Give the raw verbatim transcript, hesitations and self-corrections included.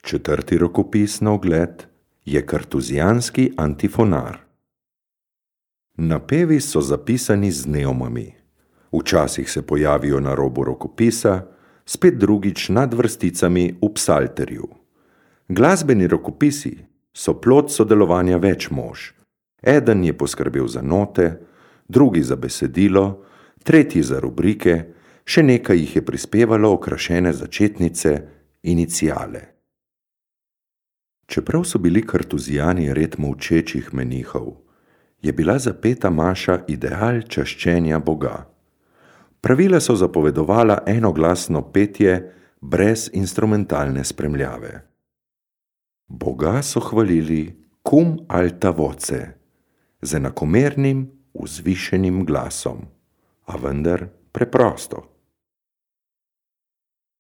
Četrti rokopis na ogled je kartuzijanski antifonar. Napevi so zapisani z neomami. Včasih se pojavijo na robu rokopisa, spet drugič nad vrsticami v psalterju. Glasbeni rokopisi so plod sodelovanja več mož. Eden je poskrbel za note, drugi za besedilo, tretji za rubrike, še nekaj jih je prispevalo okrašene začetnice, iniciale. Čeprav so bili kartuzijani red molčečih menihov, je bila zapeta maša ideal čaščenja Boga. Pravila so zapovedovala enoglasno petje brez instrumentalne spremljave. Boga so hvalili cum alta voce, z enakomernim, vzvišenim glasom, a vendar preprosto.